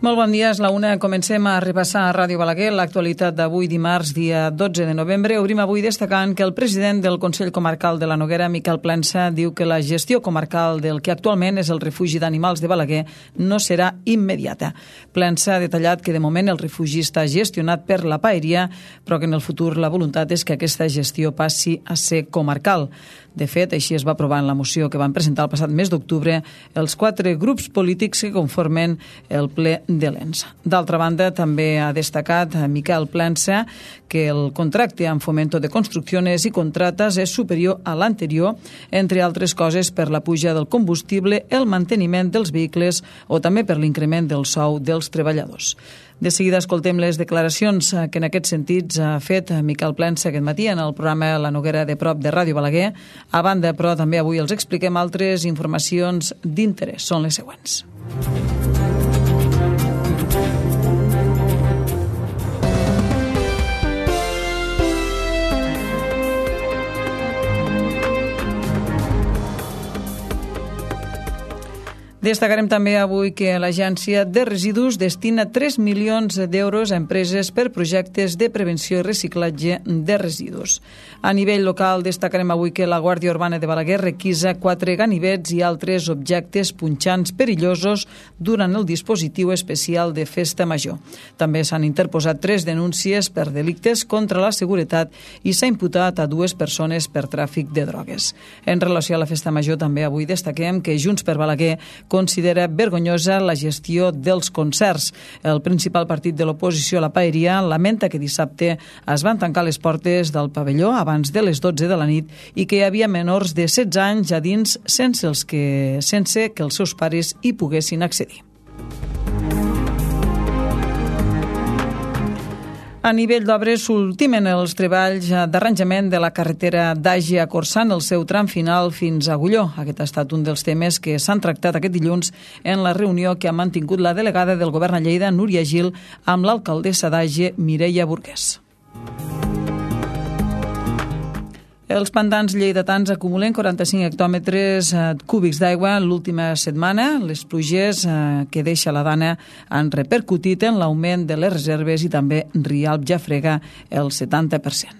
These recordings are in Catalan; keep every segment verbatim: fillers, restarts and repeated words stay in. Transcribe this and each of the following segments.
Molt bon dia, és la una. Comencem a repassar a Ràdio Balaguer l'actualitat d'avui dimarts, dia dotze de novembre. Obrim avui destacant que el president del Consell Comarcal de la Noguera, Miquel Plensa, diu que la gestió comarcal del que actualment és el refugi d'animals de Balaguer no serà immediata. Plensa ha detallat que de moment el refugi està gestionat per la paeria, però que en el futur la voluntat és que aquesta gestió passi a ser comarcal. De fet, així es va aprovar en la moció que van presentar el passat mes d'octubre els quatre grups polítics que conformen el ple de l'E N S. D'altra banda, també ha destacat Miquel Plensa que el contracte amb Fomento de Construcciones i Contratas és superior a l'anterior, entre altres coses per la puja del combustible, el manteniment dels vehicles o també per l'increment del sou dels treballadors. De seguida escoltem les declaracions que en aquest sentit ha fet Miquel Plensa aquest matí en el programa La Noguera de Prop de Ràdio Balaguer. A banda, però, també avui els expliquem altres informacions d'interès. Són les següents. Destacarem també avui que l'Agència de Residus destina tres milions d'euros a empreses per projectes de prevenció i reciclatge de residus. A nivell local destacarem avui que la Guàrdia Urbana de Balaguer requisa quatre ganivets i altres objectes punxants perillosos durant el dispositiu especial de Festa Major. També s'han interposat tres denúncies per delictes contra la seguretat i s'ha imputat a dues persones per tràfic de drogues. En relació a la Festa Major també avui destaquem que Junts per Balaguer considera vergonyosa la gestió dels concerts. El principal partit de l'oposició a la paeria lamenta que dissabte es van tancar les portes del pavelló abans de les dotze de la nit i que hi havia menors de setze anys a dins sense, els que, sense que els seus pares hi poguessin accedir. A nivell d'obres, s'ultimen els treballs d'arranjament de la carretera d'Àgia a Corçà en el seu tram final fins a Agulló. Aquest ha estat un dels temes que s'han tractat aquest dilluns en la reunió que ha mantingut la delegada del Govern a Lleida, Núria Gil, amb l'alcaldessa d'Àgia, Mireia Burguès. Els pantans lleidatans acumulen quaranta-cinc hectòmetres cúbics d'aigua l'última setmana. Les pluges que deixa la Dana han repercutit en l'augment de les reserves i també Rialp ja frega el setanta per cent.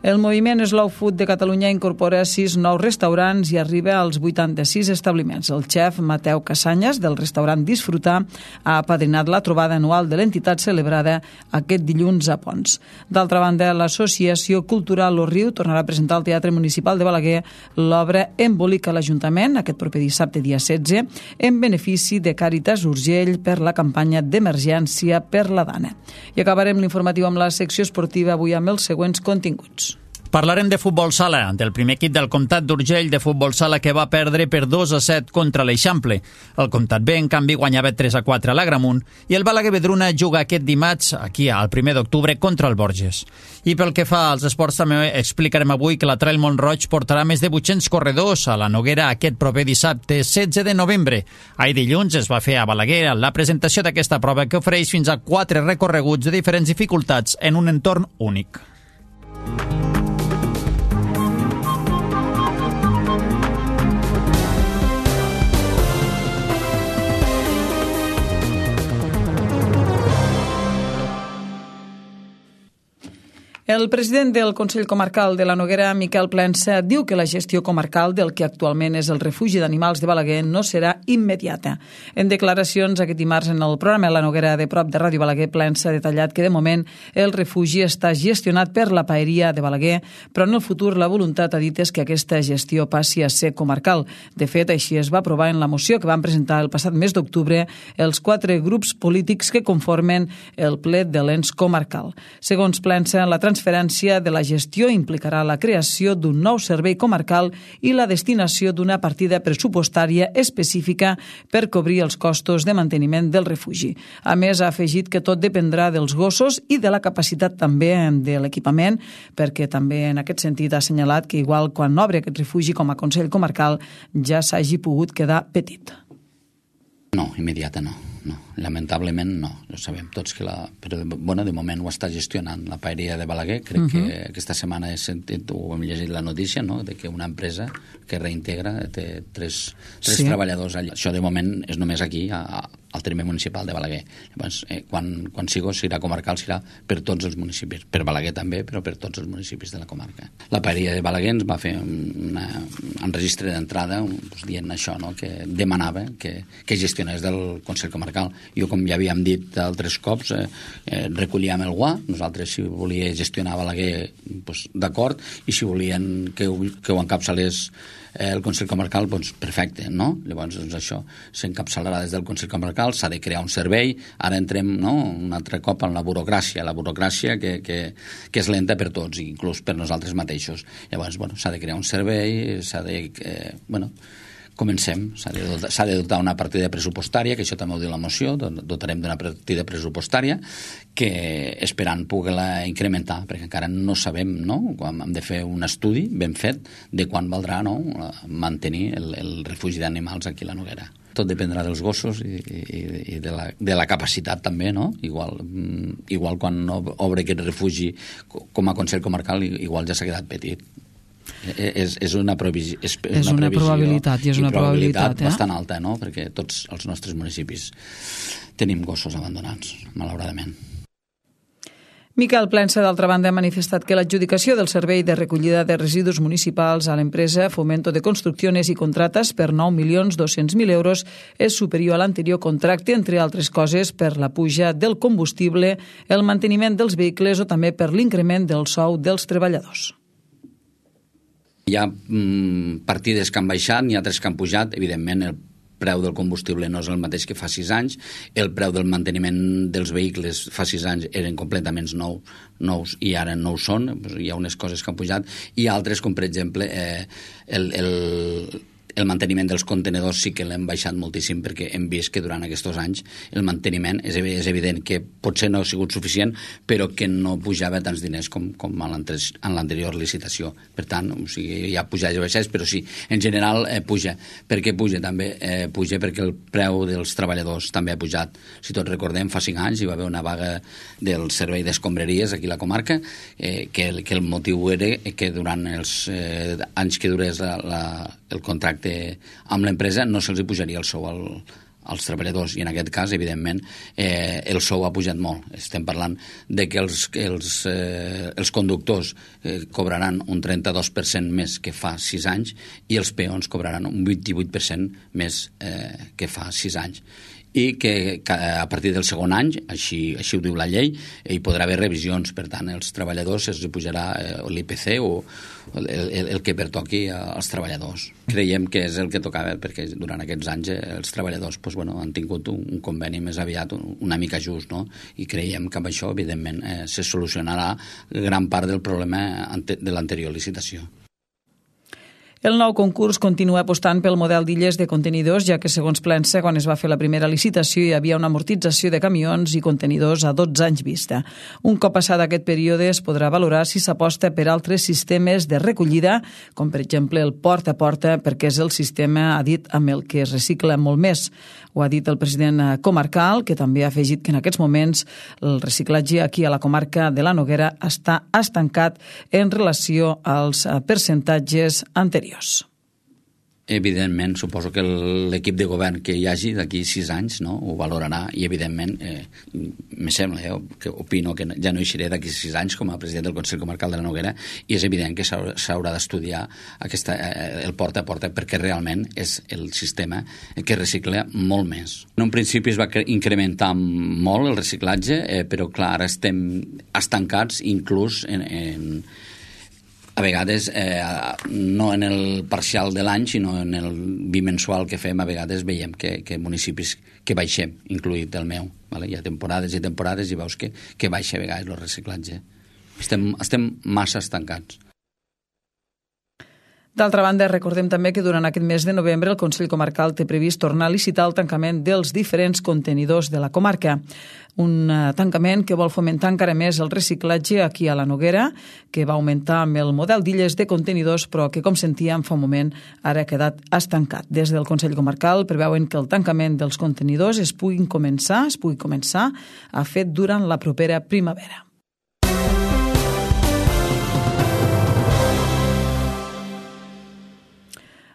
El moviment Slow Food de Catalunya incorpora sis nous restaurants i arriba als vuitanta-sis establiments. El xef Mateu Casanyes, del restaurant Disfrutar, ha apadrinat la trobada anual de l'entitat celebrada aquest dilluns a Pons. D'altra banda, l'Associació Cultural Lo Riu tornarà a presentar al Teatre Municipal de Balaguer l'obra Embolica l'Ajuntament, aquest proper dissabte, dia setze, en benefici de Càritas Urgell per la campanya d'emergència per la Dana. I acabarem l'informatiu amb la secció esportiva avui amb els següents continguts. Parlarem de futbol sala, del primer equip del Comtat d'Urgell de futbol sala que va perdre per dos a set contra l'Eixample. El Comtat B, en canvi, guanyava tres a quatre a l'Agramunt i el Balaguer Vedruna juga aquest dimarts, aquí, al primer d'octubre, contra el Borges. I pel que fa als esports, també explicarem avui que la Trail Mont-roig portarà més de vuit-cents corredors a la Noguera aquest proper dissabte, setze de novembre. Ahir dilluns es va fer a Balaguer la presentació d'aquesta prova que ofereix fins a quatre recorreguts de diferents dificultats en un entorn únic. El president del Consell Comarcal de la Noguera, Miquel Plensa, diu que la gestió comarcal del que actualment és el refugi d'animals de Balaguer no serà immediata. En declaracions aquest dimarts en el programa La Noguera de Prop de Ràdio Balaguer, Plensa ha detallat que de moment el refugi està gestionat per la paeria de Balaguer, però en el futur la voluntat, ha dit, és que aquesta gestió passi a ser comarcal. De fet, així es va aprovar en la moció que van presentar el passat mes d'octubre els quatre grups polítics que conformen el ple de l'E N S comarcal. Segons Plensa, la transferència transferència de la gestió implicarà la creació d'un nou servei comarcal i la destinació d'una partida pressupostària específica per cobrir els costos de manteniment del refugi. A més, ha afegit que tot dependrà dels gossos i de la capacitat també de l'equipament, perquè també en aquest sentit ha assenyalat que igual quan obre aquest refugi com a Consell Comarcal ja s'hagi pogut quedar petit. No, immediata no. no, lamentablement no, ho sabem tots que la... Però, bueno, de moment ho està gestionant la paeria de Balaguer, crec uh-huh. que aquesta setmana he sentit, o hem llegit la notícia, no?, de que una empresa que reintegra té tres, tres sí. treballadors allà. Això de moment és només aquí, a, a, al terme municipal de Balaguer. Llavors, eh, quan, quan sigo, serà comarcal, serà per tots els municipis, per Balaguer també, però per tots els municipis de la comarca. La paeria de Balaguer ens va fer una, un registre d'entrada doncs, dient això, no?, que demanava que, que gestionés del Consell Comarcal. Jo, com ja havíem dit altres cops, eh, eh, recollíem el guà, nosaltres si volia gestionar Balaguer, doncs, d'acord, i si volien que ho, que ho encapçalés eh, el Consell Comarcal, doncs perfecte, no? Llavors, doncs, això s'encapçalarà des del Consell Comarcal, s'ha de crear un servei, ara entrem, no?, un altre cop en la burocràcia, la burocràcia que, que, que és lenta per tots, inclús per nosaltres mateixos. Llavors, bueno, s'ha de crear un servei, s'ha de... Eh, bueno, comencem, s'ha de, dotar, s'ha de dotar una partida pressupostària, que això també ho diu la moció, dotarem d'una partida pressupostària que esperant poder-la incrementar, perquè encara no sabem, no?, hem de fer un estudi ben fet de quan valdrà, no?, mantenir el, el refugi d'animals aquí a la Noguera. Tot dependrà dels gossos i, i, i de, la, de la capacitat també, no? Igual, igual quan obre aquest refugi com a Consell Comarcal, igual ja s'ha quedat petit. És, és una, previsió, és, és una, una probabilitat i és una probabilitat, probabilitat eh? bastant alta, no? Perquè tots els nostres municipis tenim gossos abandonats, malauradament. Miquel Plensa, d'altra banda, ha manifestat que l'adjudicació del servei de recollida de residus municipals a l'empresa Fomento de Construcciones i Contratas per nou milions dos-cents mil euros és superior a l'anterior contracte, entre altres coses per la puja del combustible, el manteniment dels vehicles o també per l'increment del sou dels treballadors. Hi ha mm, partides que han baixat, n'hi ha altres que han pujat. Evidentment, el preu del combustible no és el mateix que fa sis anys. El preu del manteniment dels vehicles fa sis anys eren completament nous, nous i ara no ho són. Hi ha unes coses que han pujat i altres, com per exemple, eh, el... el El manteniment dels contenedors sí que l'hem baixat moltíssim perquè hem vist que durant aquests anys el manteniment és, és evident que potser no ha sigut suficient, però que no pujava tants diners com, com en l'anterior licitació. Per tant, o sigui, hi ha pujats i baixats, però sí, en general eh, puja. Per què puja? També eh, puja perquè el preu dels treballadors també ha pujat. Si tots recordem, fa cinc anys hi va haver una vaga del servei d'escombraries aquí a la comarca, eh, que, el, que el motiu era que durant els eh, anys que durés la, la, el contracte amb l'empresa no se'ls pujaria el sou al, als treballadors i en aquest cas, evidentment, eh, el sou ha pujat molt. Estem parlant de que els, els, eh, els conductors eh, cobraran un trenta-dos per cent més que fa sis anys i els peons cobraran un vint-i-vuit per cent més eh, que fa sis anys. I que, que a partir del segon any, així, així ho diu la llei, hi podrà haver revisions. Per tant, els treballadors es pujarà eh, l'I P C o el, el, el que pertoqui als treballadors. Creiem que és el que tocava, perquè durant aquests anys eh, els treballadors pues, bueno, han tingut un, un conveni més aviat, un, una mica just, no? I creiem que amb això, evidentment, eh, se solucionarà gran part del problema ante, de l'anterior licitació. El nou concurs continua apostant pel model d'illes de contenidors, ja que, segons Plensa, quan es va fer la primera licitació hi havia una amortització de camions i contenidors a dotze anys vista. Un cop passat aquest període es podrà valorar si s'aposta per altres sistemes de recollida, com per exemple el porta a porta, perquè és el sistema, ha dit, amb el que es recicla molt més. Ho ha dit el president comarcal, que també ha afegit que en aquests moments el reciclatge aquí a la comarca de la Noguera està estancat en relació als percentatges anteriors. Evidentment, suposo que l'equip de govern que hi hagi d'aquí sis anys, no, ho valorarà i, evidentment, eh, me sembla, eh, que opino que ja no hi seré d'aquí sis anys com a president del Consell Comarcal de la Noguera i és evident que s'haurà d'estudiar aquesta, eh, el porta a porta perquè realment és el sistema que recicla molt més. En un principi es va incrementar molt el reciclatge, eh, però clar, ara estem estancats inclús en... en a vegades, eh, no en el parcial de l'any, sinó en el bimensual que fem, a vegades veiem que, que municipis que baixem, incluït el meu. Vale? Hi ha temporades i temporades i veus que, que baixa a vegades el reciclatge. Estem, estem massa estancats. D'altra banda, recordem també que durant aquest mes de novembre el Consell Comarcal té previst tornar a licitar el tancament dels diferents contenidors de la comarca. Un tancament que vol fomentar encara més el reciclatge aquí a la Noguera, que va augmentar amb el model d'illes de contenidors, però que, com sentíem fa un moment, ara ha quedat estancat. Des del Consell Comarcal preveuen que el tancament dels contenidors es pugui començar, es pugui començar a fer durant la propera primavera.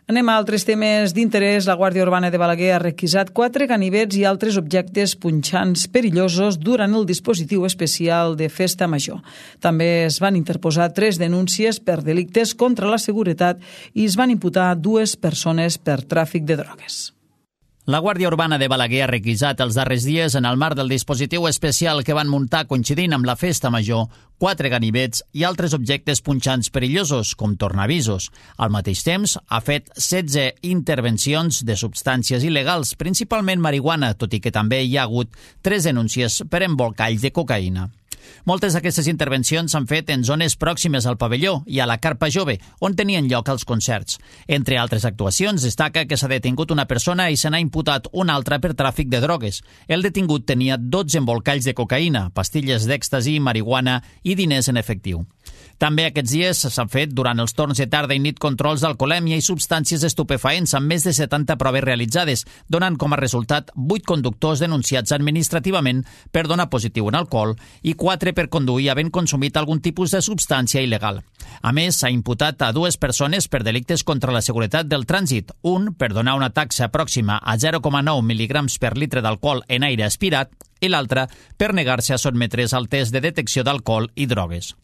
Anem a altres temes d'interès. La Guàrdia Urbana de Balaguer ha requisat quatre ganivets i altres objectes punxants perillosos durant el dispositiu especial de Festa Major. També es van interposar tres denúncies per delictes contra la seguretat i es van imputar dues persones per tràfic de drogues. La Guàrdia Urbana de Balaguer ha requisat els darrers dies, en el marc del dispositiu especial que van muntar coincidint amb la Festa Major, quatre ganivets i altres objectes punxants perillosos, com tornavisos. Al mateix temps, ha fet setze intervencions de substàncies il·legals, principalment marihuana, tot i que també hi ha hagut tres denúncies per embolcalls de cocaïna. Moltes d'aquestes intervencions s'han fet en zones pròximes al pavelló i a la carpa jove, on tenien lloc els concerts. Entre altres actuacions, destaca que s'ha detingut una persona i se n'ha imputat una altra per tràfic de drogues. El detingut tenia dotze embolcalls de cocaïna, pastilles d'èxtasi, marihuana i diners en efectiu. També aquests dies s'han fet durant els torns de tarda i nit controls d'alcoholèmia i substàncies estupefaents amb més de setanta proves realitzades, donant com a resultat vuit conductors denunciats administrativament per donar positiu en alcohol i quatre per conduir havent consumit algun tipus de substància il·legal. A més, s'ha imputat a dues persones per delictes contra la seguretat del trànsit, un per donar una taxa pròxima a zero coma nou mil·ligrams per litre d'alcohol en aire aspirat i l'altre per negar-se a sotmetre's al test de detecció d'alcohol i drogues.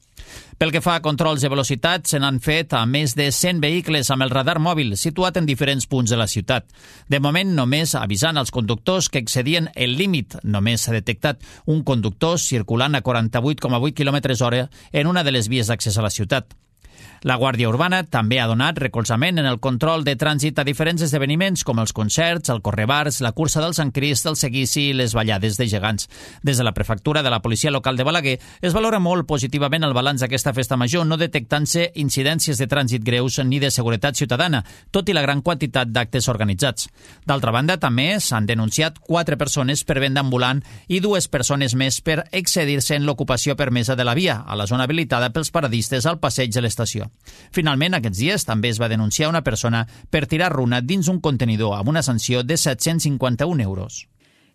Pel que fa a controls de velocitat, se n'han fet a més de cent vehicles amb el radar mòbil situat en diferents punts de la ciutat. De moment, només avisant als conductors que excedien el límit. Només s'ha detectat un conductor circulant a quaranta-vuit coma vuit quilòmetres hora en una de les vies d'accés a la ciutat. La Guàrdia Urbana també ha donat recolzament en el control de trànsit a diferents esdeveniments com els concerts, el correbars, la cursa del Sant Crist, el seguici i les ballades de gegants. Des de la prefectura de la Policia Local de Balaguer es valora molt positivament el balanç d'aquesta festa major, no detectant-se incidències de trànsit greus ni de seguretat ciutadana, tot i la gran quantitat d'actes organitzats. D'altra banda, també s'han denunciat quatre persones per venda ambulant i dues persones més per excedir-se en l'ocupació permesa de la via, a la zona habilitada pels paradistes al passeig de l'estació. Finalment, aquests dies també es va denunciar una persona per tirar runa dins un contenidor amb una sanció de set-cents cinquanta-un euros.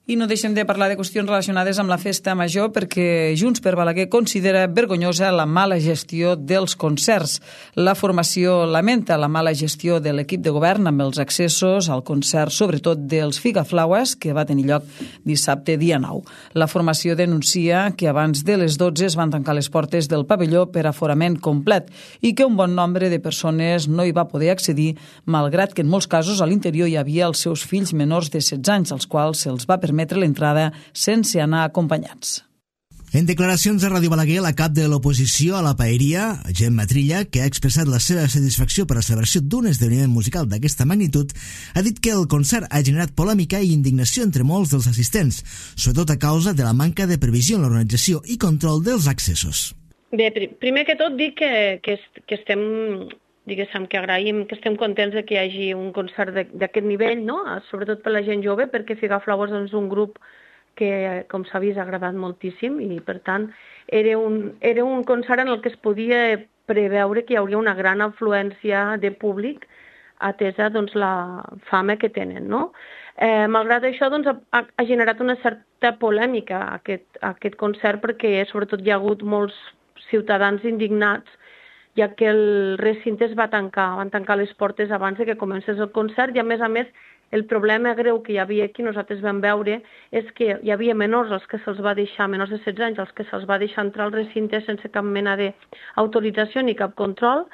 I no deixem de parlar de qüestions relacionades amb la Festa Major perquè Junts per Balaguer considera vergonyosa la mala gestió dels concerts. La formació lamenta la mala gestió de l'equip de govern amb els accessos al concert, sobretot dels Figaflaues, que va tenir lloc dissabte dia nou. La formació denuncia que abans de les dotze es van tancar les portes del pavelló per aforament complet i que un bon nombre de persones no hi va poder accedir, malgrat que en molts casos a l'interior hi havia els seus fills menors de setze anys, als quals se'ls va permetre l'entrada sense anar acompanyats. En declaracions a Ràdio Balaguer, la cap de l'oposició a la paeria, Gemma Trilla, que ha expressat la seva satisfacció per la celebració d'un esdeveniment musical d'aquesta magnitud, ha dit que el concert ha generat polèmica i indignació entre molts dels assistents, sobretot a causa de la manca de previsió en l'organització i control dels accessos. Bé, primer que tot dic que, que, que estem... diguéssim, que agraïm, que estem contents de que hi hagi un concert d'aquest nivell, no? Sobretot per la gent jove, perquè Figaflaues és un grup que, com s'ha vist, ha agradat moltíssim i, per tant, era un, era un concert en el que es podia preveure que hi hauria una gran afluència de públic atesa doncs, la fama que tenen, no? Eh, malgrat això, doncs, ha, ha generat una certa polèmica aquest, aquest concert perquè, sobretot, hi ha hagut molts ciutadans indignats ja que el recinte es va tancar, van tancar les portes abans de que comencés el concert i, a més a més, el problema greu que hi havia aquí, nosaltres vam veure, és que hi havia menors als que se'ls va deixar, menors de setze anys, als que se'ls va deixar entrar al recinte sense cap mena d'autorització ni cap control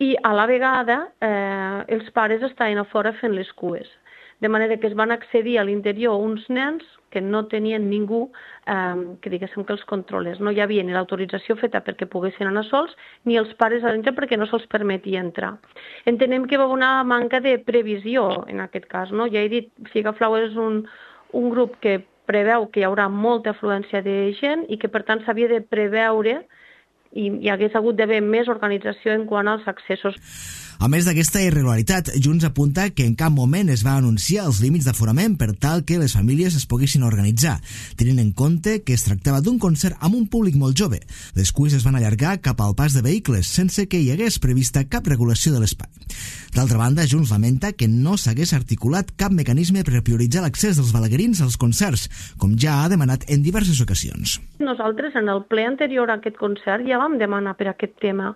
i, a la vegada, eh, els pares estaven a fora fent les cues. De manera que es van accedir a l'interior uns nens que no tenien ningú eh, que diguéssim que els controlés. No hi havia ni l'autorització feta perquè poguessin anar sols, ni els pares a dintre perquè no se'ls permetia entrar. Entenem que va haver una manca de previsió en aquest cas, no? Ja he dit, Figaflaues és un, un grup que preveu que hi haurà molta afluència de gent i que per tant s'havia de preveure i hi hagués hagut d'haver més organització en quant als accessos. A més d'aquesta irregularitat, Junts apunta que en cap moment es va anunciar els límits d'aforament per tal que les famílies es poguessin organitzar, tenint en compte que es tractava d'un concert amb un públic molt jove. Les cues es van allargar cap al pas de vehicles, sense que hi hagués prevista cap regulació de l'espai. D'altra banda, Junts lamenta que no s'hagués articulat cap mecanisme per prioritzar l'accés dels balaguerins als concerts, com ja ha demanat en diverses ocasions. Nosaltres, en el ple anterior a aquest concert, ja vam demanar per aquest tema.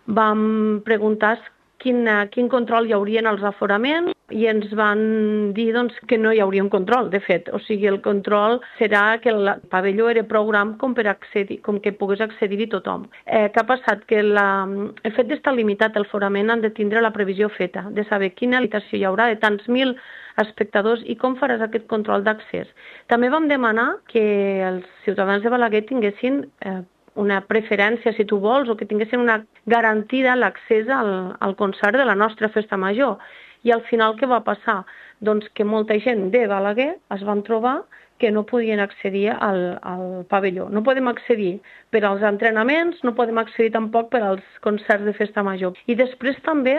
Vam preguntar Quin, quin control hi hauria en els aforaments i ens van dir doncs, que no hi hauria un control, de fet. O sigui, el control serà que el pavelló era prou gran com, per accedir, com que pogués accedir-hi tothom. Eh, què ha passat? Que la, el fet d'estar limitat al forament han de tindre la previsió feta, de saber quina limitació hi haurà de tants mil espectadors i com faràs aquest control d'accés. També vam demanar que els ciutadans de Balaguer tinguessin eh, una preferència, si tu vols, o que tinguessin una garantida l'accés al, al concert de la nostra festa major. I al final què va passar? Doncs que molta gent de Balaguer es van trobar que no podien accedir al, al pavelló. No podem accedir per als entrenaments, no podem accedir tampoc per als concerts de festa major. I després també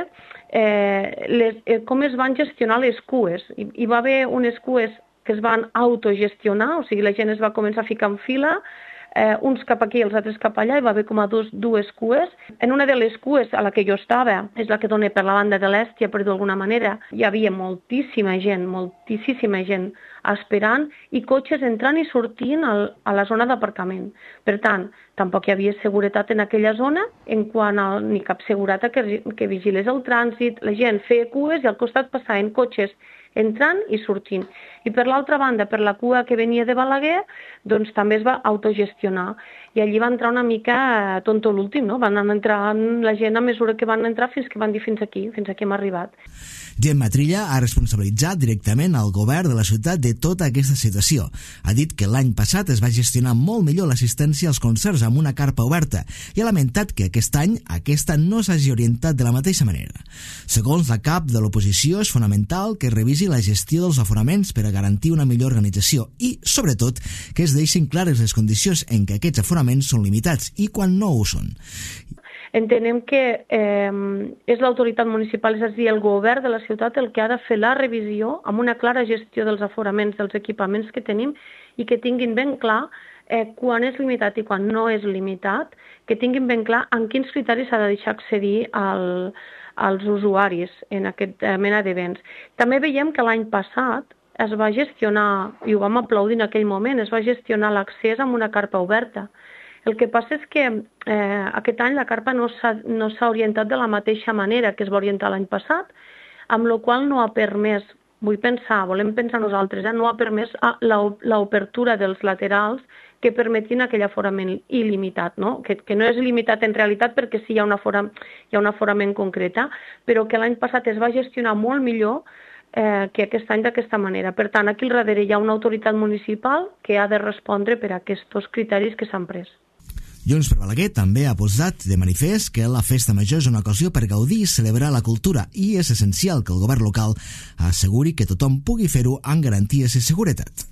eh, les, eh, com es van gestionar les cues. Hi, hi va haver unes cues que es van autogestionar, o sigui, la gent es va començar a ficar en fila, Eh, uns cap aquí i els altres cap allà, hi va haver com a dos, dues cues. En una de les cues a la que jo estava, és la que dona per la banda de l'Èstia, per d'alguna manera, hi havia moltíssima gent, moltíssima gent esperant i cotxes entrant i sortint al, a la zona d'aparcament. Per tant, tampoc hi havia seguretat en aquella zona, en quant a ni cap seguretat que, que vigilés el trànsit, la gent feia cues i al costat passaven cotxes entrant i sortint. I per l'altra banda, per la cua que venia de Balaguer, doncs també es va autogestionar. I allí va entrar una mica tonto l'últim, no? Van entrar la gent a mesura que van entrar fins que van dir fins aquí, fins aquí hem arribat. Gemma Trilla ha responsabilitzat directament al govern de la ciutat de tota aquesta situació. Ha dit que l'any passat es va gestionar molt millor l'assistència als concerts amb una carpa oberta i ha lamentat que aquest any aquesta no s'hagi orientat de la mateixa manera. Segons la cap de l'oposició, és fonamental que es revisi la gestió dels aforaments per a garantir una millor organització i, sobretot, que es deixin clares les condicions en què aquests aforaments són limitats i quan no ho són. Entenem que eh, és l'autoritat municipal, és a dir, el govern de la ciutat el que ha de fer la revisió amb una clara gestió dels aforaments, dels equipaments que tenim i que tinguin ben clar eh, quan és limitat i quan no és limitat, que tinguin ben clar en quins criteris s'ha de deixar accedir al, als usuaris en aquest eh, mena d'events. També veiem que l'any passat es va gestionar, i ho vam aplaudir en aquell moment, es va gestionar l'accés amb una carpa oberta. El que passa és que eh, aquest any la carpa no s'ha no s'ha orientat de la mateixa manera que es va orientar l'any passat, amb la qual no ha permès, vull pensar, volem pensar nosaltres, eh, no ha permès l'obertura dels laterals que permetin aquell aforament il·limitat, no? Que, que no és il·limitat en realitat perquè sí hi ha un aforament, hi ha un aforament concreta, però que l'any passat es va gestionar molt millor eh, que aquest any d'aquesta manera. Per tant, aquí al darrere hi ha una autoritat municipal que ha de respondre per a aquests criteris que s'han pres. Junts per Balaguer també ha posat de manifest que la festa major és una ocasió per gaudir i celebrar la cultura i és essencial que el govern local asseguri que tothom pugui fer-ho amb garanties i seguretat.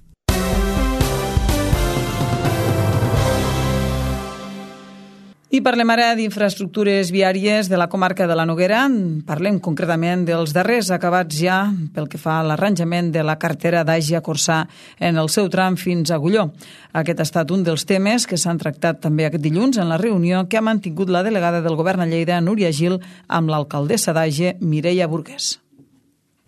I parlem ara d'infraestructures viàries de la comarca de la Noguera. Parlem concretament dels darrers acabats ja pel que fa a l'arranjament de la carretera d'Àgia-Corçà en el seu tram fins a Agulló. Aquest ha estat un dels temes que s'han tractat també aquest dilluns en la reunió que ha mantingut la delegada del govern a Lleida, Núria Gil, amb l'alcaldessa d'Àgia, Mireia Burgués.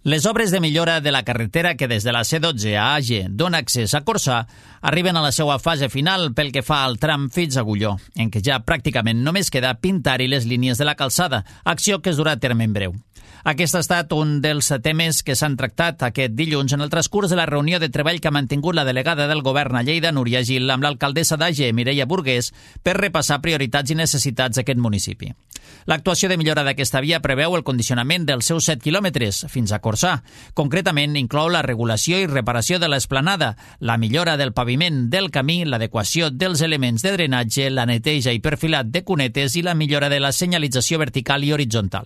Les obres de millora de la carretera que des de la C dotze a Àger dona accés a Corçà arriben a la seva fase final pel que fa al tram fins a Agulló, en què ja pràcticament només queda pintar-hi les línies de la calçada, acció que es durà a terme en breu. Aquest ha estat un dels temes que s'han tractat aquest dilluns en el transcurs de la reunió de treball que ha mantingut la delegada del govern a Lleida, Núria Gil, amb l'alcaldessa d'Àger, Mireia Burgués, per repassar prioritats i necessitats d'aquest municipi. L'actuació de millora d'aquesta via preveu el condicionament dels seus set quilòmetres fins a Corçà. Concretament, inclou la regulació i reparació de l'esplanada, la millora del paviment del camí, l'adequació dels elements de drenatge, la neteja i perfilat de cunetes i la millora de la senyalització vertical i horitzontal.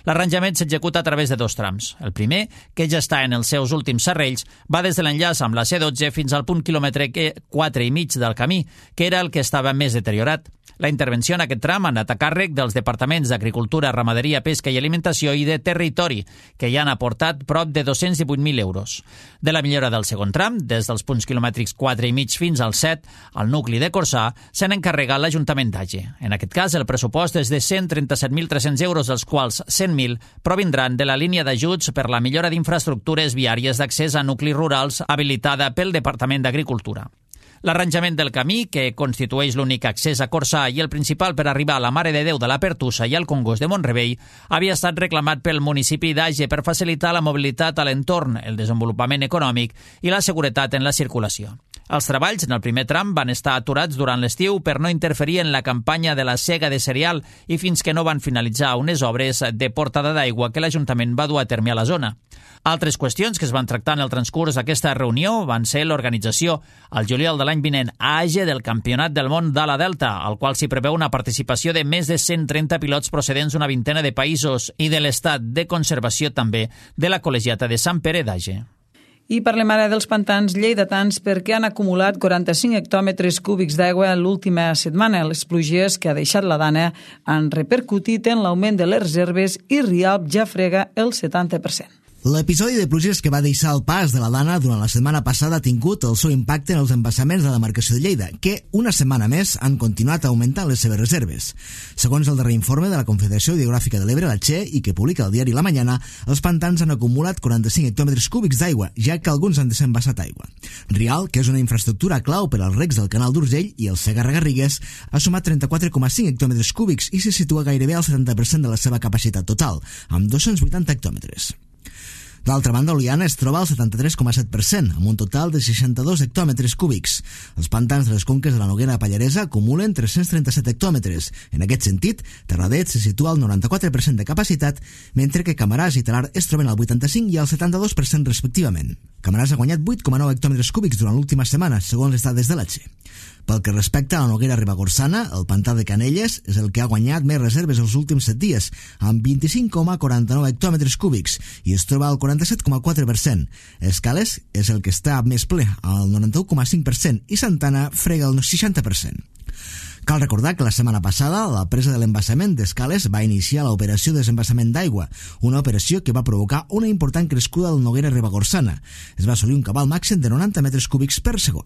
L'arranjament s'executa a través de dos trams. El primer, que ja està en els seus últims serrells, va des de l'enllaç amb la C dotze fins al punt quilòmetre quatre i mig del camí, que era el que estava més deteriorat. La intervenció en aquest tram ha anat a càrrec dels departaments d'Agricultura, Ramaderia, Pesca i Alimentació i de Territori, que hi han aportat prop de dos-cents divuit mil euros. De la millora del segon tram, des dels punts quilomètrics quatre i mig fins al set, al nucli de Corçà, s'han encarregat l'Ajuntament d'Age. En aquest cas, el pressupost és de cent trenta-set mil tres-cents euros, dels quals cent mil provindran de la línia d'ajuts per la millora d'infraestructures viàries d'accés a nuclis rurals habilitada pel Departament d'Agricultura. L'arranjament del camí, que constitueix l'únic accés a Corçà i el principal per arribar a la Mare de Déu de la Pertussa i al Congost de Mont-rebei, havia estat reclamat pel municipi d'Age per facilitar la mobilitat a l'entorn, el desenvolupament econòmic i la seguretat en la circulació. Els treballs en el primer tram van estar aturats durant l'estiu per no interferir en la campanya de la sega de cereal i fins que no van finalitzar unes obres de portada d'aigua que l'Ajuntament va dur a terme a la zona. Altres qüestions que es van tractar en el transcurs d'aquesta reunió van ser l'organització, al juliol de l'any vinent, a Age del Campionat del Món d'Ala Delta, al qual s'hi preveu una participació de més de cent trenta pilots procedents d'una vintena de països i de l'estat de conservació també de la Col·legiata de Sant Pere d'Age. I parlem ara dels pantans lleidatans perquè han acumulat quaranta-cinc hectòmetres cúbics d'aigua l'última setmana. Les pluges que ha deixat la Dana han repercutit en l'augment de les reserves i Rialp ja frega el setanta per cent. L'episodi de pluges que va deixar el pas de la Dana durant la setmana passada ha tingut el seu impacte en els embassaments de la demarcació de Lleida, que una setmana més han continuat augmentant les seves reserves. Segons el darrer informe de la Confederació Hidrogràfica de l'Ebre, la Che, i que publica el diari La Mañana, els pantans han acumulat quaranta-cinc hectòmetres cúbics d'aigua, ja que alguns han desembassat aigua. Rialp, que és una infraestructura clau per als recs del canal d'Urgell i el Segarra-Garrigues, ha sumat trenta-quatre coma cinc hectòmetres cúbics i se situa gairebé al setanta per cent de la seva capacitat total, amb dos-cents vuitanta hectòmetres. D'altra banda, Oliana es troba al setanta-tres coma set per cent, amb un total de seixanta-dos hectòmetres cúbics. Els pantans de les conques de la Noguera Pallaresa acumulen tres-cents trenta-set hectòmetres. En aquest sentit, Terradet se situa al noranta-quatre per cent de capacitat, mentre que Camaràs i Talar es troben al vuitanta-cinc i al setanta-dos per cent respectivament. Camaràs ha guanyat vuit coma nou hectòmetres cúbics durant l'última setmana, segons les dades de l'A T S E. Pel que respecta a la Noguera Ribagorçana, el pantà de Canelles és el que ha guanyat més reserves els últims set dies, amb vint-i-cinc coma quaranta-nou hectòmetres cúbics, i es troba al quaranta-set coma quatre per cent. Escales és el que està més ple, al noranta-u coma cinc per cent, i Santana frega el seixanta per cent. Cal recordar que la setmana passada la presa de l'embassament d'Escales va iniciar l'operació de desembassament d'aigua, una operació que va provocar una important crescuda del Noguera Ribagorçana. Es va assolir un cabal màxim de noranta metres cúbics per segon.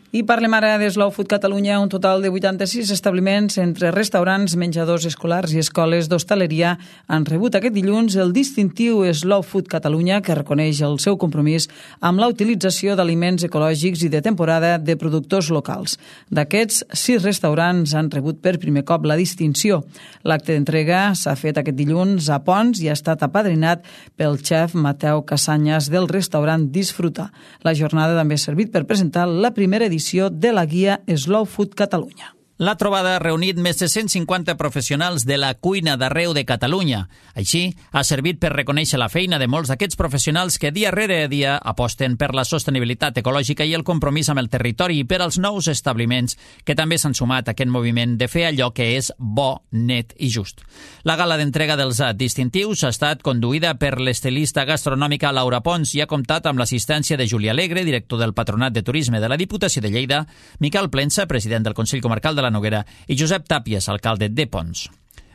I parlem ara de Slow Food Catalunya, un total de vuitanta-sis establiments entre restaurants, menjadors escolars i escoles d'hostaleria han rebut aquest dilluns el distintiu Slow Food Catalunya, que reconeix el seu compromís amb la utilització d'aliments ecològics i de temporada de productors locals. D'aquests, sis restaurants han rebut per primer cop la distinció. L'acte d'entrega s'ha fet aquest dilluns a Pons i ha estat apadrinat pel xef Mateu Casanyes del restaurant Disfruta. La jornada també ha servit per presentar la primera edició de la guia Slow Food Catalunya. La trobada ha reunit més de cent cinquanta professionals de la cuina d'arreu de Catalunya. Així, ha servit per reconèixer la feina de molts d'aquests professionals que dia rere dia aposten per la sostenibilitat ecològica i el compromís amb el territori i per als nous establiments que també s'han sumat a aquest moviment de fer allò que és bo, net i just. La gala d'entrega dels distintius ha estat conduïda per l'estilista gastronòmica Laura Pons i ha comptat amb l'assistència de Juli Alegre, director del Patronat de Turisme de la Diputació de Lleida, Miquel Plensa, president del Consell Comarcal de la Noguera, i Josep Tàpies, alcalde de Pons.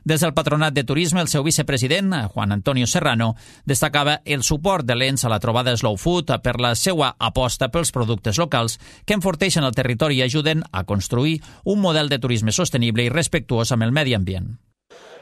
Des del Patronat de Turisme, el seu vicepresident, Juan Antonio Serrano, destacava el suport de l'E N S a la trobada Slow Food per la seva aposta pels productes locals que enforteixen el territori i ajuden a construir un model de turisme sostenible i respectuós amb el medi ambient.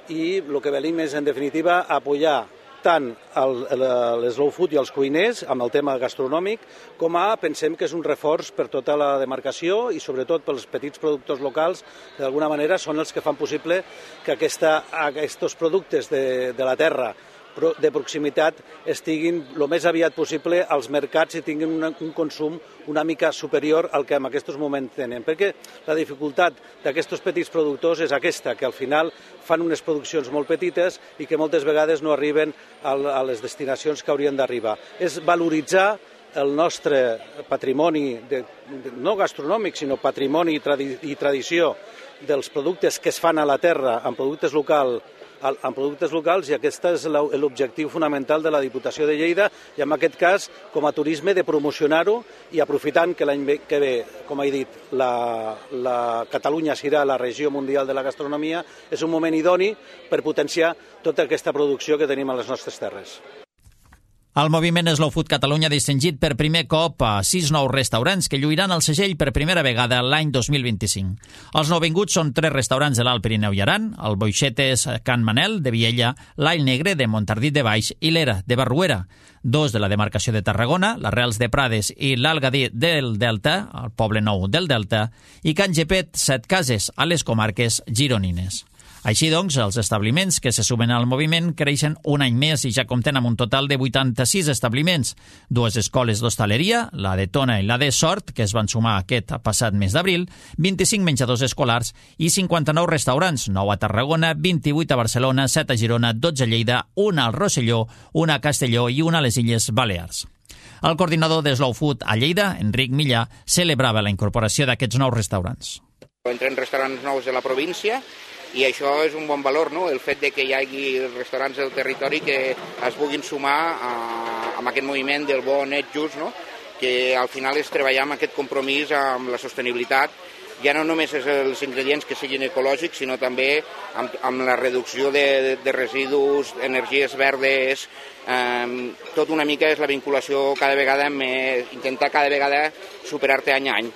I el que venim és, en definitiva, apoyar tant l'Slow Food i els cuiners amb el tema gastronòmic, com a pensem que és un reforç per tota la demarcació i sobretot pels petits productors locals, que d'alguna manera són els que fan possible que aquesta, aquests productes de, de la terra de proximitat estiguin el més aviat possible als mercats i tinguin un, un consum una mica superior al que en aquests moments tenen. Perquè la dificultat d'aquests petits productors és aquesta, que al final fan unes produccions molt petites i que moltes vegades no arriben a les destinacions que haurien d'arribar. És valoritzar el nostre patrimoni, de, de, no gastronòmic, sinó patrimoni i, tradi, i tradició dels productes que es fan a la terra amb productes locals, en productes locals, i aquest és l'objectiu fonamental de la Diputació de Lleida, i en aquest cas, com a turisme, de promocionar-ho, i aprofitant que l'any que ve, com he dit, la, la Catalunya serà la regió mundial de la gastronomia, és un moment idoni per potenciar tota aquesta producció que tenim a les nostres terres. El moviment Slow Food Catalunya ha distingit per primer cop a sis nous restaurants que lluiran el segell per primera vegada l'any dos mil vint-i-cinc. Els nouvinguts són tres restaurants de l'Alt Pirineu i Aran, el Boixetes Can Manel de Viella, l'All Negre de Montardit de Baix i l'Era de Barruera, dos de la demarcació de Tarragona, l'Arrels de Prades i l'Algadí del Delta, el Poble Nou del Delta, i Can Gepet Set Cases, a les comarques gironines. Així doncs, els establiments que se sumen al moviment creixen un any més i ja compten amb un total de vuitanta-sis establiments. Dues escoles d'hostaleria, la de Tona i la de Sort, que es van sumar aquest passat mes d'abril, vint-i-cinc menjadors escolars i cinquanta-nou restaurants, nou a Tarragona, vint-i-vuit a Barcelona, set a Girona, dotze a Lleida, una al Rosselló, una a Castelló i una a les Illes Balears. El coordinador de Slow Food a Lleida, Enric Millà, celebrava la incorporació d'aquests nous restaurants. Entren restaurants nous de la província i això és un bon valor, no? El fet de que hi hagi restaurants del territori que es puguin sumar a, a aquest moviment del bo, net, just, no? Que al final és treballar amb aquest compromís amb la sostenibilitat. Ja no només és els ingredients que siguin ecològics, sinó també amb, amb la reducció de, de residus, energies verdes, eh, tot una mica és la vinculació cada vegada, amb, intentar cada vegada superar-te any a any.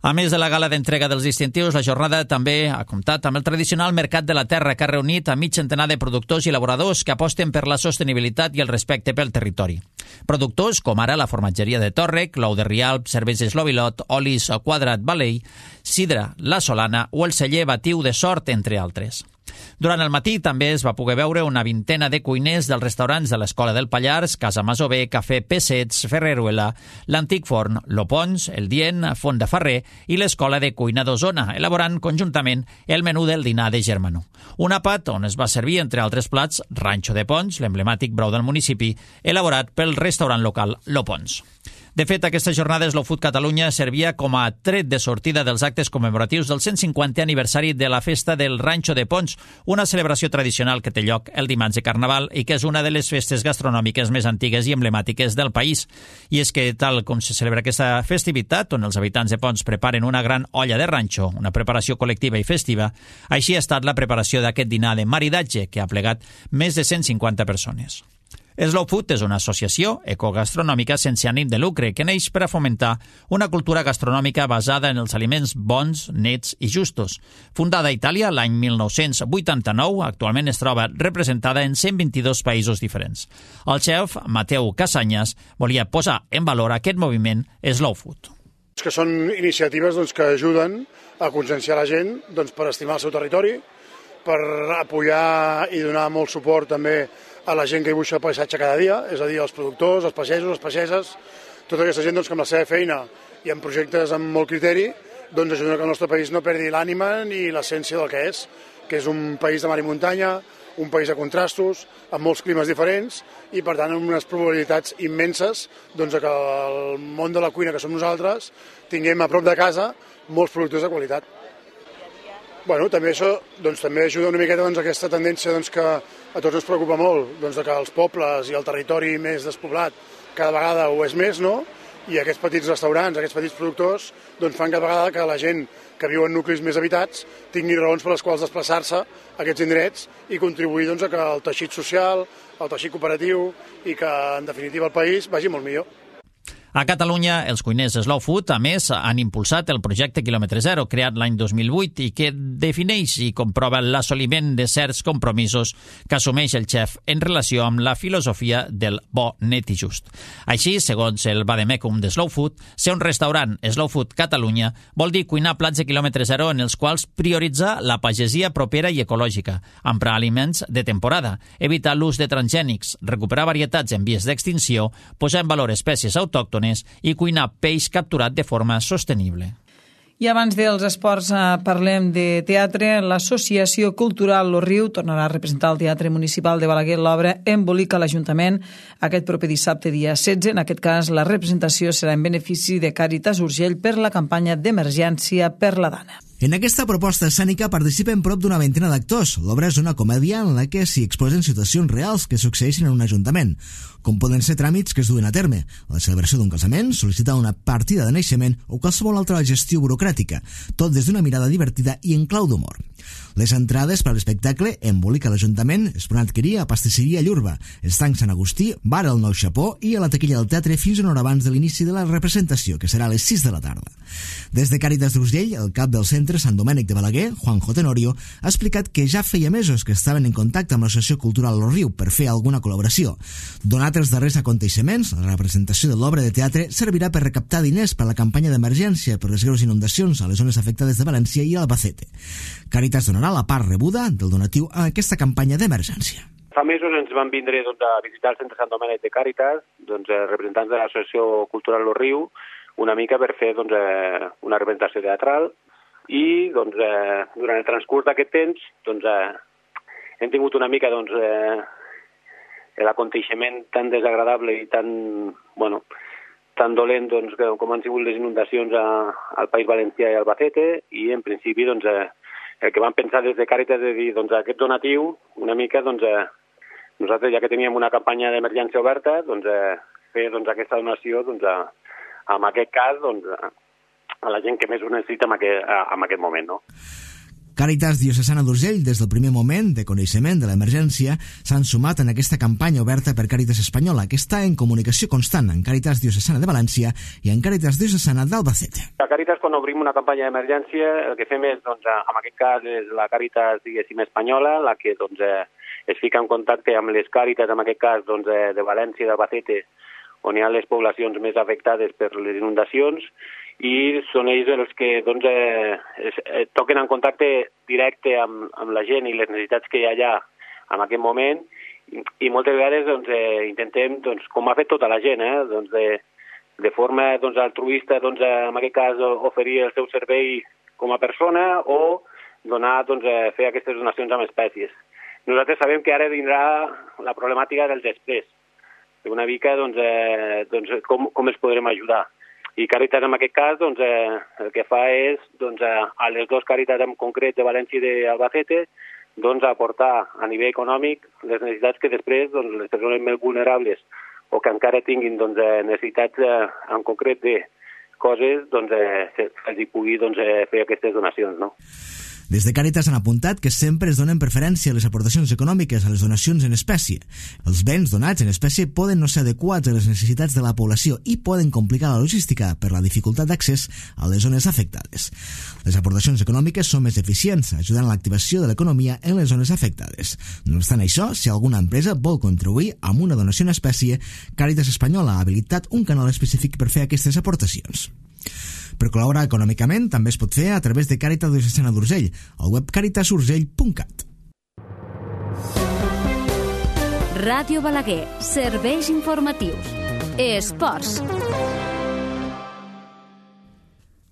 A més de la gala d'entrega dels distintius, la jornada també ha comptat amb el tradicional Mercat de la Terra, que ha reunit a mig centenar de productors i elaboradors que aposten per la sostenibilitat i el respecte pel territori. Productors com ara la formatgeria de Tòrrec, l'ou de Rialp, cerveses Lobilot, olis Quadrat Valei, sidra La Solana o el celler Batiu de Sort, entre altres. Durant el matí també es va poder veure una vintena de cuiners dels restaurants de l'Escola del Pallars, Casa Masover, Cafè Pessets, Ferreruela, l'Antic Forn, Lopons, El Dient, Font de Ferrer i l'Escola de Cuina d'Osona, elaborant conjuntament el menú del dinar de Germanó. Un àpat on es va servir, entre altres plats, ranxo de Pons, l'emblemàtic brou del municipi, elaborat pel restaurant local Lopons. De fet, aquesta jornada Slow Food Catalunya servia com a tret de sortida dels actes commemoratius del cent cinquantè aniversari de la festa del Ranxo de Pons, una celebració tradicional que té lloc el dimarts de Carnaval i que és una de les festes gastronòmiques més antigues i emblemàtiques del país. I és que, tal com se celebra aquesta festivitat, on els habitants de Pons preparen una gran olla de ranxo, una preparació col·lectiva i festiva, així ha estat la preparació d'aquest dinar de maridatge, que ha plegat més de cent cinquanta persones. Slow Food és una associació ecogastronòmica sense ànim de lucre que neix per a fomentar una cultura gastronòmica basada en els aliments bons, nets i justos. Fundada a Itàlia l'any mil nou-cents vuitanta-nou, actualment es troba representada en cent vint-i-dos països diferents. El xef Mateu Casanyes volia posar en valor aquest moviment Slow Food. Que són iniciatives doncs, que ajuden a conscienciar la gent doncs, per estimar el seu territori, per apoyar i donar molt suport també a la gent que dibuixa el paisatge cada dia, és a dir, els productors, els pagesos, les pageses, tota aquesta gent doncs, que amb la seva feina i amb projectes amb molt criteri doncs, ajuden que el nostre país no perdi l'ànima ni l'essència del que és, que és un país de mar i muntanya, un país de contrastos, amb molts climes diferents i, per tant, amb unes probabilitats immenses doncs, que el món de la cuina que som nosaltres tinguem a prop de casa molts productes de qualitat. Bueno, també això doncs, també ajuda una miqueta doncs, a aquesta tendència doncs, que a tots ens preocupa molt, doncs, que els pobles i el territori més despoblat cada vegada ho és més, no? I aquests petits restaurants, aquests petits productors, doncs, fan cada vegada que la gent que viu en nuclis més habitats tingui raons per les quals desplaçar-se a aquests indrets i contribuir doncs, a que el teixit social, el teixit cooperatiu i que, en definitiva, el país vagi molt millor. A Catalunya, els cuiners Slow Food, a més, han impulsat el projecte Quilòmetre Zero, creat l'any dos mil vuit i que defineix i comprova l'assoliment de certs compromisos que assumeix el xef en relació amb la filosofia del bo, net i just. Així, segons el vademecum de Slow Food, ser un restaurant Slow Food Catalunya vol dir cuinar plats de quilòmetre zero en els quals prioritzar la pagesia propera i ecològica, emprar aliments de temporada, evitar l'ús de transgènics, recuperar varietats en vies d'extinció, posar en valor espècies autòctones i cuinar peix capturat de forma sostenible. I abans dels esports eh, parlem de teatre. L'Associació Cultural Lo Riu tornarà a representar el Teatre Municipal de Balaguer l'obra Embolica l'Ajuntament aquest proper dissabte dia setze. En aquest cas, la representació serà en benefici de Càritas Urgell per la campanya d'emergència per la dona. En aquesta proposta escènica participen prop d'una vintena d'actors. L'obra és una comèdia en la que s'hi exposen situacions reals que succeeixen en un ajuntament, com poden ser tràmits que es duen a terme, la celebració d'un casament, sol·licitar una partida de naixement o qualsevol altra gestió burocràtica, tot des d'una mirada divertida i en clau d'humor. Les entrades per a l'espectacle Embolica l'Ajuntament es poden adquirir a Pastisseria Llurba, Estanc Sant Agustí, Bar El Nou Xapó i a la taquilla del teatre fins una hora abans de l'inici de la representació, que serà a les sis de la tarda. Des de Càritas d'Urgell, el cap del centre Sant Domènec de Balaguer, Juanjo Tenorio, ha explicat que ja feia mesos que estaven en contacte amb l'Associació Cultural Lo Riu per fer alguna col·laboració. Donat els darrers aconteixements, la representació de l'obra de teatre servirà per recaptar diners per a la campanya d'emergència per les greus inundacions a les zones afectades de València i Albacete. Càritas donarà la part rebuda del donatiu a aquesta campanya d'emergència. Fa mesos ens van vindre doncs, a visitar el centre Sant Domènec de Càritas, doncs, representants de l'Associació Cultural Lo Riu, una mica per fer doncs, una representació teatral i doncs, eh, durant el transcurs d'aquest temps doncs, eh, hem tingut una mica doncs, eh, l'aconteixement tan desagradable i tan, bueno, tan dolent doncs, com han sigut les inundacions a, al País Valencià i Albacete, i en principi doncs, eh, el que vam pensar des de Càritas és dir, doncs, aquest donatiu, una mica, doncs, eh, nosaltres ja que teníem una campanya d'emergència oberta, doncs, eh, fer doncs, aquesta donació, doncs, a, en aquest cas, doncs, a la gent que més ho necessita en aquest, en aquest moment, no? Càritas Diocesana d'Urgell, des del primer moment de coneixement de l'emergència, s'han sumat en aquesta campanya oberta per Càritas Espanyola, que està en comunicació constant amb Càritas Diocesana de València i amb Càritas Diocesana d'Albacete. A Càritas, quan obrim una campanya d'emergència, el que fem és, doncs, en aquest cas, és la Càritas, diguéssim, espanyola, la que doncs, es fica en contacte amb les Càritas, en aquest cas, doncs, de València i d'Albacete, on hi ha les poblacions més afectades per les inundacions, i són ells els que doncs, eh, es, eh, toquen en contacte directe amb, amb la gent i les necessitats que hi ha allà en aquest moment, i, i moltes vegades doncs, eh, intentem, doncs, com ha fet tota la gent, eh, doncs, de, de forma doncs, altruista, doncs, en aquest cas, oferir el seu servei com a persona o donar, doncs, eh, fer aquestes donacions amb espècies. Nosaltres sabem que ara vindrà la problemàtica del després, una mica doncs, eh, doncs, com, com els podrem ajudar. I Càritas, en aquest cas, doncs, eh, el que fa és, doncs, a les dues Càritas en concret de València i d'Albacete, doncs, aportar a nivell econòmic les necessitats que després doncs, les persones més vulnerables o que encara tinguin doncs, necessitats eh, en concret de coses, doncs, eh, se'ls pugui doncs, eh, fer aquestes donacions, no? Des de Càritas han apuntat que sempre es donen preferència a les aportacions econòmiques a les donacions en espècie. Els béns donats en espècie poden no ser adequats a les necessitats de la població i poden complicar la logística per la dificultat d'accés a les zones afectades. Les aportacions econòmiques són més eficients, ajudant a l'activació de l'economia en les zones afectades. No obstant això, si alguna empresa vol contribuir amb una donació en espècie, Càritas Espanyola ha habilitat un canal específic per fer aquestes aportacions. Per col·laborar econòmicament també es pot fer a través de Càritas Diocesana d'Urgell, al web càritas urgell punt cat. Ràdio Balaguer, serveis informatius. Esports.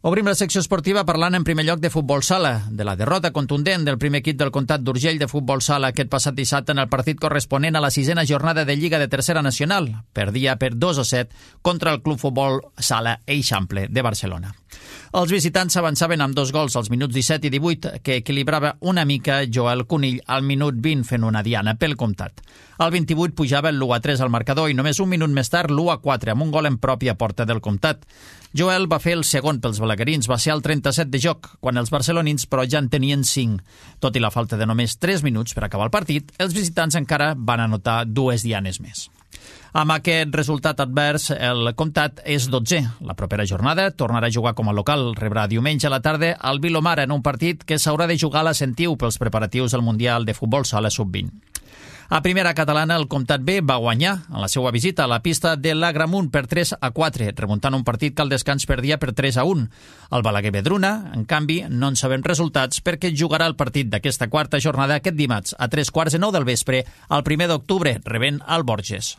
Obrim la secció esportiva parlant en primer lloc de futbol sala, de la derrota contundent del primer equip del Comtat d'Urgell de futbol sala aquest passat dissabte en el partit corresponent a la sisena jornada de Lliga de Tercera Nacional. Perdia per dos a set contra el Club Futbol Sala Eixample de Barcelona. Els visitants avançaven amb dos gols als minuts disset i divuit, que equilibrava una mica Joel Conill al minut vint fent una diana pel Comtat. Al vint-i-vuit pujava el l'u a tres al marcador i només un minut més tard l'u a quatre amb un gol en pròpia porta del Comtat. Joel va fer el segon pels balaguerins, va ser al trenta-set de joc, quan els barcelonins però ja en tenien cinc. Tot i la falta de només tres minuts per acabar el partit, els visitants encara van anotar dues dianes més. Amb aquest resultat advers, el Comtat és dotzè. La propera jornada tornarà a jugar com a local. Rebrà diumenge a la tarda al Vilomara en un partit que s'haurà de jugar a la Sentiu pels preparatius del Mundial de Futbol Sala sub vint. A primera catalana, el Comtat B va guanyar en la seva visita a la pista de l'Agramunt per tres a quatre, remuntant un partit que al descans perdia per tres a un. El Balaguer Vedruna, en canvi, no en sabem resultats perquè jugarà el partit d'aquesta quarta jornada aquest dimarts a tres quarts de nou del vespre, el primer d'octubre, rebent al Borges.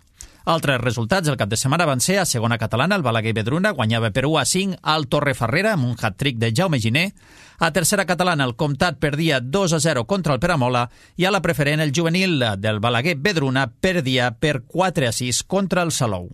Altres resultats el cap de setmana van ser a segona catalana, el Balaguer Vedruna guanyava per u a cinc al Torrefarrera amb un hat-trick de Jaume Giner. A tercera catalana el Comtat perdia dos a zero contra el Peramola i a la preferent el juvenil del Balaguer Vedruna perdia per quatre a sis contra el Salou.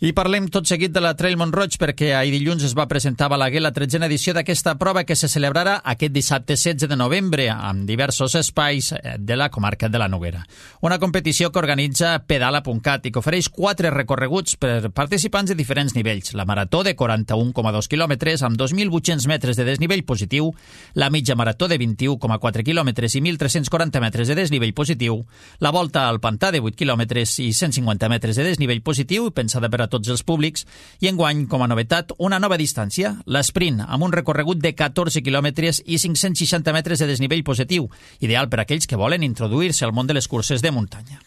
I parlem tot seguit de la Trail Mont-roig perquè ahir dilluns es va presentar a Balaguer la tretzena edició d'aquesta prova que se celebrarà aquest dissabte setze de novembre amb diversos espais de la comarca de la Noguera. Una competició que organitza Pedala punt cat i que ofereix quatre recorreguts per participants de diferents nivells. La marató de quaranta-un coma dos quilòmetres amb dos mil vuit-cents metres de desnivell positiu, la mitja marató de vint-i-u coma quatre quilòmetres i mil tres-cents quaranta metres de desnivell positiu, la volta al pantà de vuit quilòmetres i cent cinquanta metres de desnivell positiu i pensada per a tots els públics, i enguany, com a novetat, una nova distància, l'esprint, amb un recorregut de catorze quilòmetres i cinc-cents seixanta metres de desnivell positiu, ideal per a aquells que volen introduir-se al món de les curses de muntanya.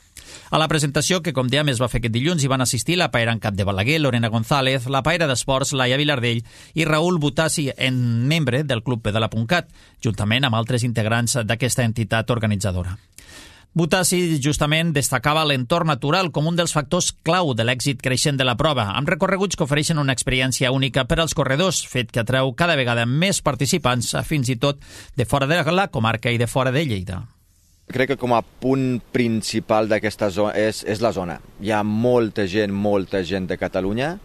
A la presentació, que com dèiem es va fer aquest dilluns, hi van assistir la paera en cap de Balaguer, Lorena González, la paera d'esports, Laia Vilardell i Raül Butassi, en membre del Club Pedala punt cat, juntament amb altres integrants d'aquesta entitat organitzadora. Butassi justament destacava l'entorn natural com un dels factors clau de l'èxit creixent de la prova, amb recorreguts que ofereixen una experiència única per als corredors, fet que atreu cada vegada més participants, fins i tot de fora de la comarca i de fora de Lleida. Crec que com a punt principal d'aquesta zona és, és la zona. Hi ha molta gent, molta gent de Catalunya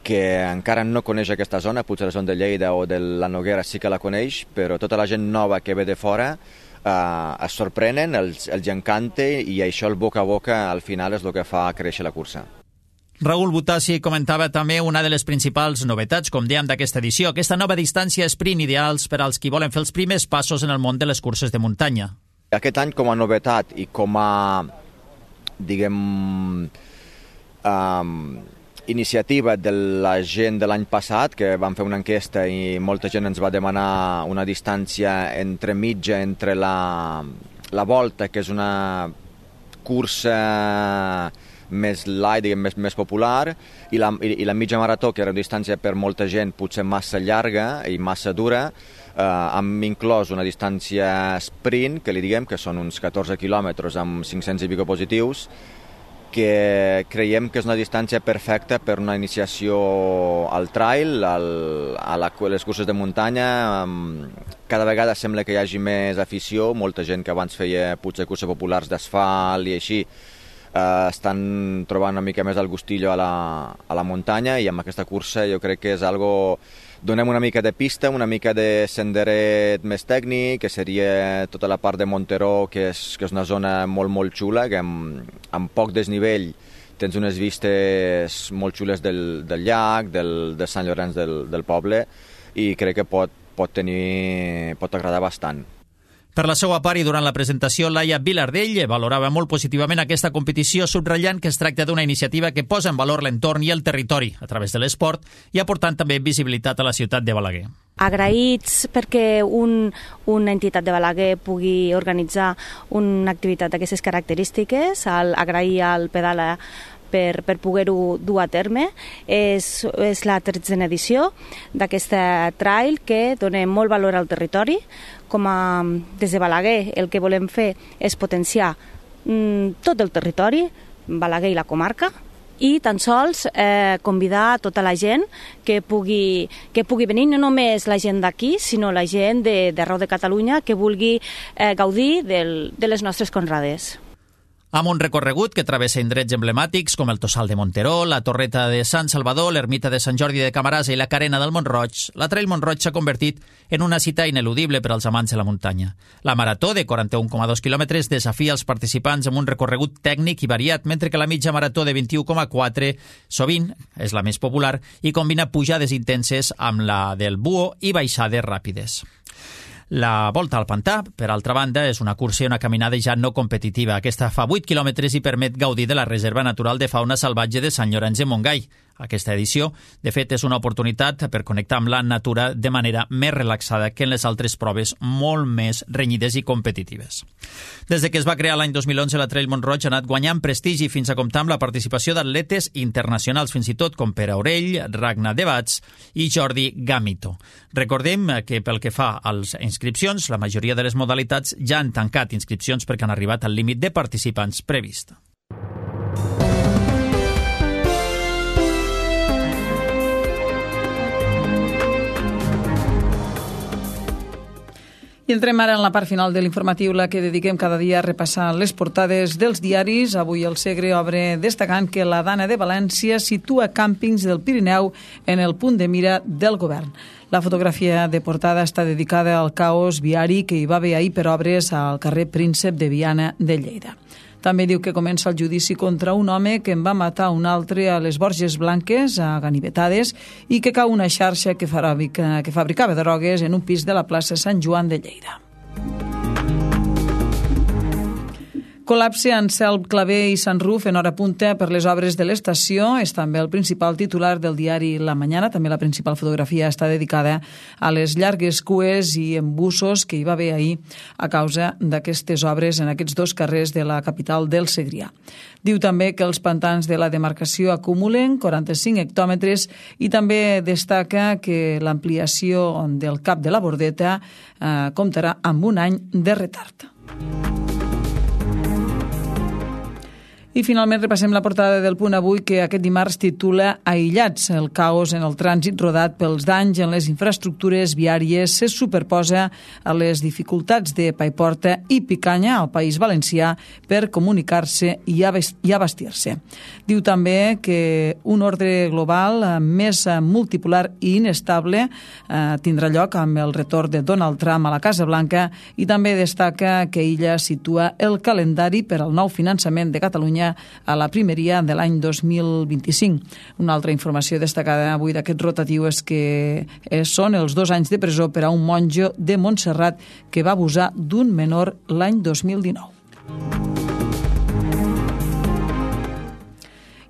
que encara no coneix aquesta zona, potser la zona de Lleida o de la Noguera sí que la coneix, però tota la gent nova que ve de fora Uh, es sorprenen, els, els encanta i això el boca a boca al final és el que fa créixer la cursa. Raül Butassi comentava també una de les principals novetats, com dèiem, d'aquesta edició, aquesta nova distància sprint ideals per als qui volen fer els primers passos en el món de les curses de muntanya. Aquest any com a novetat i com a, diguem, um, iniciativa de la gent de l'any passat, que vam fer una enquesta i molta gent ens va demanar una distància entre mitja, entre la, la volta, que és una cursa més light, diguem, més, més popular, i la, i, i la mitja marató, que era una distància per molta gent potser massa llarga i massa dura. Eh, hem inclòs una distància sprint, que li diguem, que són uns catorze quilòmetres amb cinc-cents i pico positius, que creiem que és una distància perfecta per una iniciació al trail, al, a, la, a les curses de muntanya. Cada vegada sembla que hi hagi més afició, molta gent que abans feia potser curses populars d'asfalt i així, eh, estan trobant una mica més el gustillo a la, a la muntanya, i amb aquesta cursa jo crec que és algo... Donem una mica de pista, una mica de senderet més tècnic, que seria tota la part de Monteró, que és, que és una zona molt, molt xula, que amb, amb poc desnivell tens unes vistes molt xules del, del llac, del, de Sant Llorenç del, del poble, i crec que pot, pot, tenir, pot agradar bastant. Per la seva part i durant la presentació, Laia Vilardell valorava molt positivament aquesta competició, subratllant que es tracta d'una iniciativa que posa en valor l'entorn i el territori a través de l'esport i aportant també visibilitat a la ciutat de Balaguer. Agraïts perquè un, una entitat de Balaguer pugui organitzar una activitat d'aquestes característiques, al, agrair al Pedala per, per poder-ho dur a terme. És, és la tretzena edició d'aquesta trail que dona molt valor al territori. Com a, des de Balaguer el que volem fer és potenciar mm, tot el territori, Balaguer i la comarca, i tan sols eh, convidar tota la gent que pugui, que pugui venir, no només la gent d'aquí, sinó la gent d'arreu de, de Catalunya que vulgui eh, gaudir del, de les nostres conrades. Amb un recorregut que travessa indrets emblemàtics com el Tossal de Monteró, la Torreta de Sant Salvador, l'Ermita de Sant Jordi de Camarasa i la Carena del Mont-roig, la Trail Mont-roig s'ha convertit en una cita ineludible per als amants de la muntanya. La marató, de quaranta-un coma dos quilòmetres, desafia els participants amb un recorregut tècnic i variat, mentre que la mitja marató de vint-i-u coma quatre sovint és la més popular i combina pujades intenses amb la del Buo i baixades ràpides. La volta al pantà, per altra banda, és una cursa i una caminada ja no competitiva. Aquesta fa vuit quilòmetres i permet gaudir de la Reserva Natural de Fauna Salvatge de Sant Llorenç de Montgai, Aquesta edició, de fet, és una oportunitat per connectar amb la natura de manera més relaxada que en les altres proves molt més renyides i competitives. Des de que es va crear l'any dos mil onze, la Trail Mont-roig ha anat guanyant prestigi fins a comptar amb la participació d'atletes internacionals, fins i tot com Pere Aurell, Ragnar Devats i Jordi Gamito. Recordem que pel que fa a les inscripcions, la majoria de les modalitats ja han tancat inscripcions perquè han arribat al límit de participants previst. I entrem ara en la part final de l'informatiu, la que dediquem cada dia a repassar les portades dels diaris. Avui el Segre obre destacant que la Dana de València situa càmpings del Pirineu en el punt de mira del govern. La fotografia de portada està dedicada al caos viari que hi va haver ahir per obres al carrer Príncep de Viana de Lleida. També diu que comença el judici contra un home que en va matar un altre a les Borges Blanques, a Ganivetades, i que cau una xarxa que fabrica, que fabricava drogues en un pis de la plaça Sant Joan de Lleida. Col·lapse en Selp, Clavé i Sant Ruf en hora punta per les obres de l'estació. És també el principal titular del diari La Mañana. També la principal fotografia està dedicada a les llargues cues i embussos que hi va haver ahir a causa d'aquestes obres en aquests dos carrers de la capital del Segrià. Diu també que els pantans de la demarcació acumulen quaranta-cinc hectòmetres i també destaca que l'ampliació del cap de la Bordeta eh, comptarà amb un any de retard. I finalment repassem la portada del Punt Avui, que aquest dimarts titula Aïllats. El caos en el trànsit rodat pels danys en les infraestructures viàries se superposa a les dificultats de Paiporta i Picanya al País Valencià per comunicar-se i abastir-se. Diu també que un ordre global més multipolar i inestable eh, tindrà lloc amb el retorn de Donald Trump a la Casa Blanca i també destaca que ella situa el calendari per al nou finançament de Catalunya a la primeria de l'any dos mil vint-i-cinc. Una altra informació destacada avui d'aquest rotatiu és que són els dos anys de presó per a un monjo de Montserrat que va abusar d'un menor l'any dos mil dinou.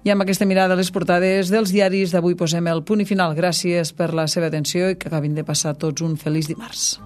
I amb aquesta mirada a les portades dels diaris d'avui posem el punt i final. Gràcies per la seva atenció i que acabin de passar tots un feliç dimarts.